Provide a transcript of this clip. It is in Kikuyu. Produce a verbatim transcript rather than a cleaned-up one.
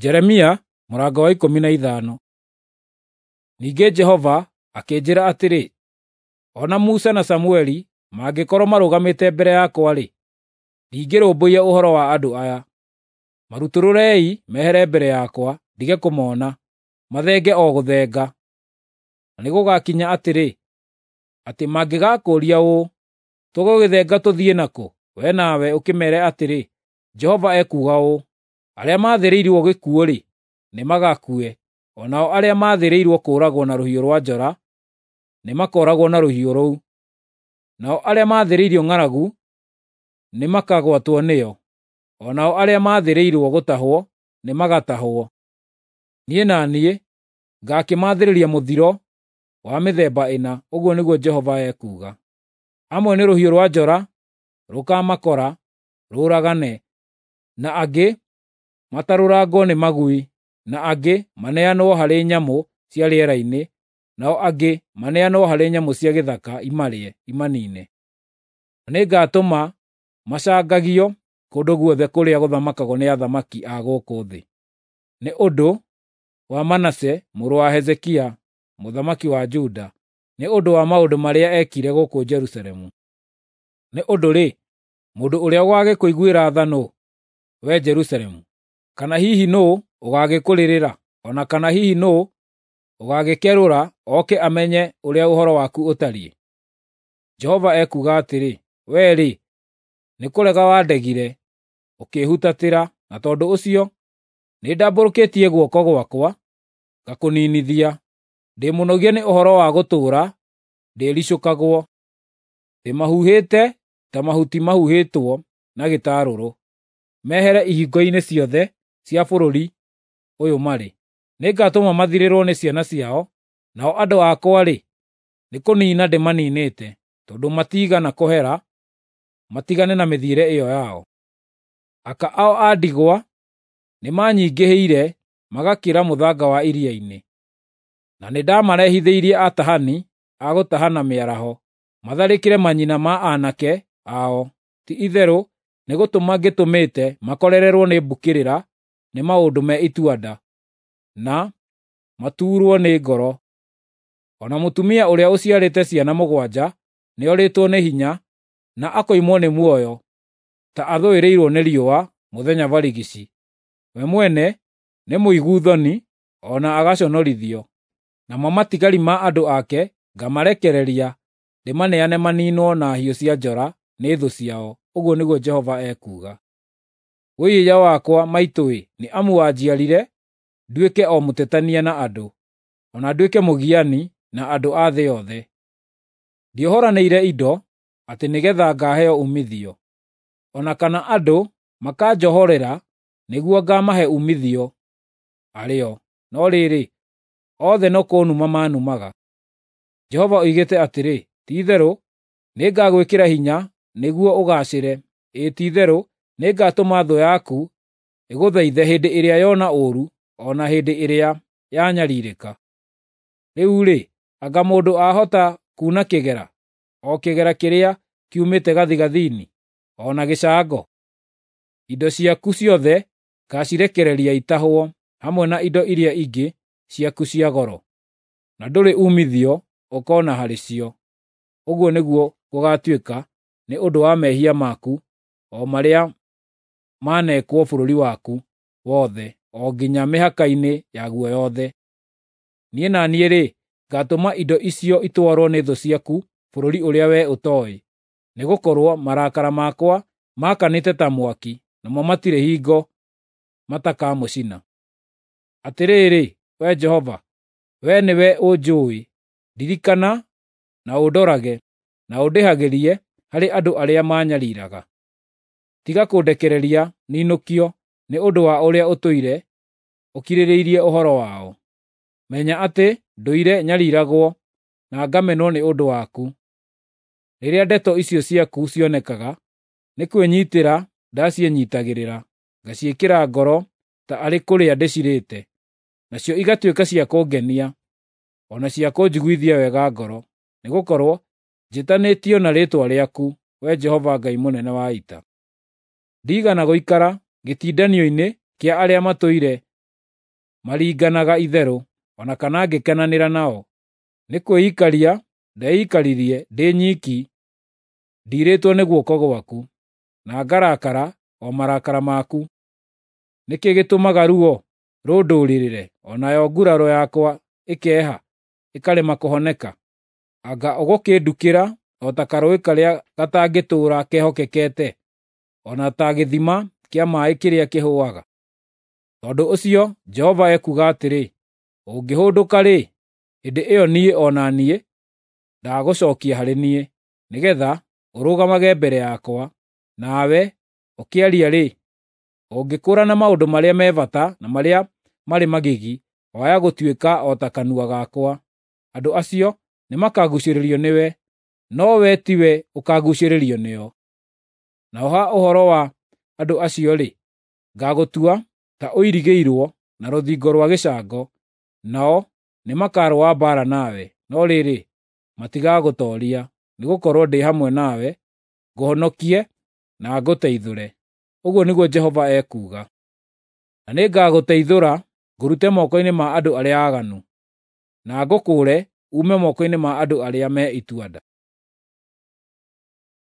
Jeremia mũrango wa ikũmi na ithano. Ningĩ Jehova akĩnjĩra atĩrĩ, o na Musa na Samueli mangĩkorwo marũgamĩte mbere yakwa-rĩ, ndingĩrũmbũiya ũhoro wa andũ aya. Marutũrũrei mehere mbere yakwa ndige kũmona, mathenge o gũthenga. Na nĩgũgakinya atĩrĩ, atĩ mangĩgakũũria ũũ, ‘Tũgũgĩthenga tũthiĩ nakũ?’ We nawe ũkĩmeere atĩrĩ, ‘Jehova ekuuga ũũ: Arĩa maathĩrĩirwo gĩkuũ-rĩ, nĩmagakue, o nao arĩa maathĩrĩirwo kũũragwo na rũhiũ rwa njora nĩmakooragwo na rũhiũ rũu, nao arĩa maathĩrĩirio ng'aragu nĩmakagwatwo nĩyo, o nao arĩa maathĩrĩirwo gũtahwo nĩmagatahwo. Niĩ na niĩ ngaakĩmaathĩrĩria mũthiro wa mĩthemba ĩna, ũguo nĩguo Jehova ekuuga. Amwe nĩ rũhiũ rwa njora rũkaamakora rũũragane, na angĩ matarũrangwo nĩ magui, na angĩ maneanwo harĩ nyamũ cia rĩera-inĩ, nao angĩ maneanwo harĩ nyamũ cia gĩthaka imarĩe, imaniine. Nĩngatũma macangagio kũndũ guothe kũrĩa gũthamakagwo nĩ athamaki a gũkũ thĩ, nĩ ũndũ wa Manase mũrũ wa Hezekia mũthamaki wa Juda, nĩ ũndũ wa maũndũ marĩa eekire gũkũ Jerusalemu. Nĩ ũndũ-rĩ, mũndũ ũrĩa ũgaagĩkũiguĩra tha nũũ, wee Jerusalemu? Kana hihi nũũ ũgaagĩkũrĩrĩra? O na kana hihi nũũ ũgaagĩkerũra oke amenye ũrĩa ũhoro waku ũtariĩ? Jehova ekuuga atĩrĩ, “Wee-rĩ, nĩkũrega wandegire, ũkĩĩhutatĩra, na tondũ ũcio nĩndambũrũkĩtie guoko gwakwa ngakũniinithia. Ndĩ mũnogie nĩ ũhoro wa gũtũũra ndĩĩricũkagwo. Ndĩmahuhĩte ta mahuti mahuhĩtwo na gĩtarũrũ, mehere ihingo-inĩ ciothe cia bũrũri ũyũ marĩ. Nĩngatũma mathirĩrwo nĩ ciana ciao, nao andũ akwa-rĩ, nĩkũniina ndĩmaniinĩte, tondũ matiigana kũhera matigane na mĩthiĩre ĩyo yao. Aka ao a ndigwa nĩmanyingĩhĩire magakĩra mũthanga wa iria-inĩ, na nĩndamarehithĩirie atahani a gũtahana mĩaraho, matharĩkĩre manyina ma aanake ao. Ti-itherũ nĩgũtũma ngĩtũmĩte makorererwo nĩ mbũkĩrĩra nĩ maũndũ me itua-nda, na matuurwo nĩ ngoro. O na mũtumia ũrĩa ũciarĩte ciana mũgwanja nĩorĩtwo nĩ hinya na akoimwo nĩ muoyo, ta athũĩrĩirwo nĩ riũa mũthenya barigici. We mwene nĩ mũigu thoni o na agaconorithio, namo matigari ma andũ ake ngamarekereria ndĩmaneane maniinwo na hiũ cia njora nĩ thũ ciao, ũguo nĩguo Jehova ekuuga. Wũi-ĩiya wakwa maitũ-ĩ, nĩ amu wanjiarire nduĩke o mũtetania na andũ, o na nduĩke mũgiani na andũ a thĩ yothe. Ndiohoranĩire indo atĩ nĩgeetha ngaaheo uumithio, o na kana andũ makanjohorera nĩguo ngaamahe uumithio arĩ o, no rĩrĩ, othe no kũnuma manumaga. Jehova oigĩte atĩrĩ, ti-itherũ nĩngagwĩkĩra hinya nĩguo ũgaacĩre, ĩĩ ti-itherũ nĩngatũma thũ yaku ĩgũthaithe hĩndĩ ĩrĩa yona ũũru, o na hĩndĩ ĩrĩa yanyariirĩka. Rĩu-rĩ, anga mũndũ aahota kuuna kĩgera, o kĩgera kĩrĩa kiumĩte gathigathini, o na gĩcango? Indo ciaku ciothe ngaacirekereria itahwo, hamwe na indo iria ingĩ ciaku cia goro, na ndũrĩ uumithio ũkoona harĩ cio. Ũguo nĩguo gũgaatuĩka nĩ ũndũ wa mehia maku o marĩa maneekwo bũrũri waku wothe o nginya mĩhaka-inĩ yaguo yothe. Niĩ na niĩ-rĩ, ngaatũma indo icio itwarwo nĩ thũ ciaku bũrũri ũrĩa wee ũtooĩ, nĩgũkorwo marakara makwa maakanĩte ta mwaki, namo matirĩ hingo matakamũcina. Atĩrĩrĩ, Wee Jehova, wee nĩwe ũnjũũĩ; ndirikana na ũndorage, na ũndĩhagĩrie harĩ andũ arĩa maanyariiraga. Tiga kũndekereria ninũkio nĩ ũndũ wa ũrĩa ũtũire ũkirĩrĩirie ũhoro wao. Menya atĩ ndũire nyariiragwo na ngamenwo nĩ ũndũ waku. Rĩrĩa ndeto icio ciaku cionekaga, nĩ kwĩnyiitĩra ndaciĩnyiitagĩrĩra, ngaciĩkĩra ngoro ta arĩ kũrĩa ndĩcirĩte, nacio igatuĩka cia kũngenia, o na cia kũnjiguithia wega ngoro, nĩgũkorwo njĩtanĩtio na rĩĩtwa rĩaku, Wee Jehova Ngai mũnene wa ita. Ndiigana gũikara gĩtindanio-inĩ kĩa arĩa matũire maringanaga itherũ, o na kana ngĩkenanĩra nao. Nĩ kwĩikaria ndeikaririe ndĩ nyiki, ndiirĩtwo nĩ guoko gwaku, na ngarakara o marakara maku. Nĩ kĩĩ gĩtũmaga ruo rũndũrĩrĩre, o nayo nguraro yakwa ĩkeha, ĩkarema kũhoneka? Anga ũgũkĩndukĩra o ta karũũĩ karĩa gatangĩtũũra kehokekete, o na ta gĩthima kĩa maaĩ kĩrĩa kĩhũaga? Tondũ ũcio Jehova ekuuga atĩrĩ, ũngĩhũndũka-rĩ, hĩndĩ ĩyo niĩ o na niĩ ndagũcookia harĩ niĩ, nĩgeetha ũrũgamage mbere yakwa. Nawe ũkĩaria-rĩ, ũngĩkũũrana maũndũ marĩa me bata na marĩa marĩ magigi, waya gũtuĩka o ta kanua gakwa. Andũ acio nĩmakaguucĩrĩrio nĩwe, no wee tiwe ũkaaguucĩrĩrio nĩo. Naho ha ũhoro wa andũ acio-rĩ, ngaagũtua ta ũirigĩirwo na rũthingo rwa gĩcango, nao nĩmakarũa mbaara nawe, no rĩrĩ, matigagũtooria, nĩgũkorwo ndĩ hamwe nawe ngũhonokie na ngũteithũre,” ũguo nĩguo Jehova ekuuga. “Na nĩngagũteithũra ngũrute moko-inĩ ma andũ arĩa aaganu, na ngũkũũre uume moko-inĩ ma andũ arĩa me itua-nda.”